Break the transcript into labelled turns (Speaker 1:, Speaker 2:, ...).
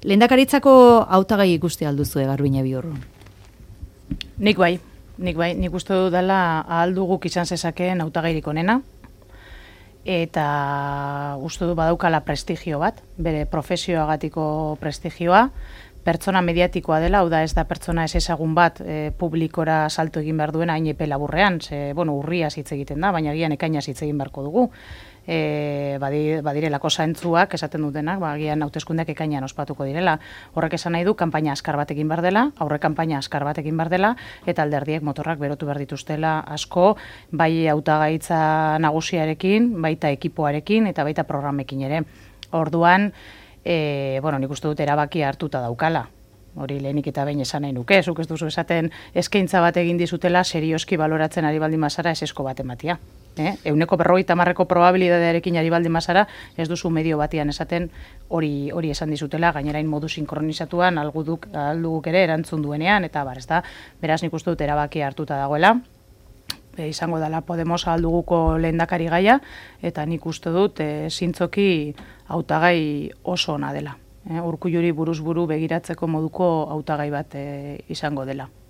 Speaker 1: Lehendakaritzako hautagai ikusti alduzu Garbiñe Biurrun?
Speaker 2: Nik bai, nik uste dut dela ahal duguk izan zezakeen hautagairik onena, eta uste du badaukala prestigio bat, bere profesioagatiko prestigioa, pertsona mediatikoa dela, hau da ez da pertsona ez ezagun bat publikora salto egin behar duena hain epe laburrean, urriaz hitz egiten da, baina gian ekainaz hitz egin beharko dugu. Badirelako zaintzuak esaten dutenak, gian hauteskundeak ekainean ospatuko direla. Horrek esan nahi du, kanpaina askar bat egin behar dela, aurre kanpaina askar bat egin behar dela, eta alderdiek motorrak berotu behar dituztela asko, bai hautagaitza nagusiarekin, baita ekipoarekin, eta baita programekin ere. Orduan, nik uste dut erabaki hartuta daukala. Hori lehenik eta behin esan nahi nuke, zuk ez duzu esaten eskaintza bat egin dizutela serioski baloratzen ari baldin bazara esesko bat ematia. 50% probabilidadearekin ari baldin bazara ez duzu medio batian esaten hori esan dizutela, gainerain modu sinkronizatuan alduguk ere erantzun duenean, eta ez da, beraz nik uste dut erabaki hartuta dagoela. Izango dela Podemos alduguko lehendakari gaia, eta nik uste dut zintzoki hautagai oso ona dela. Urkulluri buruz buru begiratzeko moduko hautagai bat izango dela.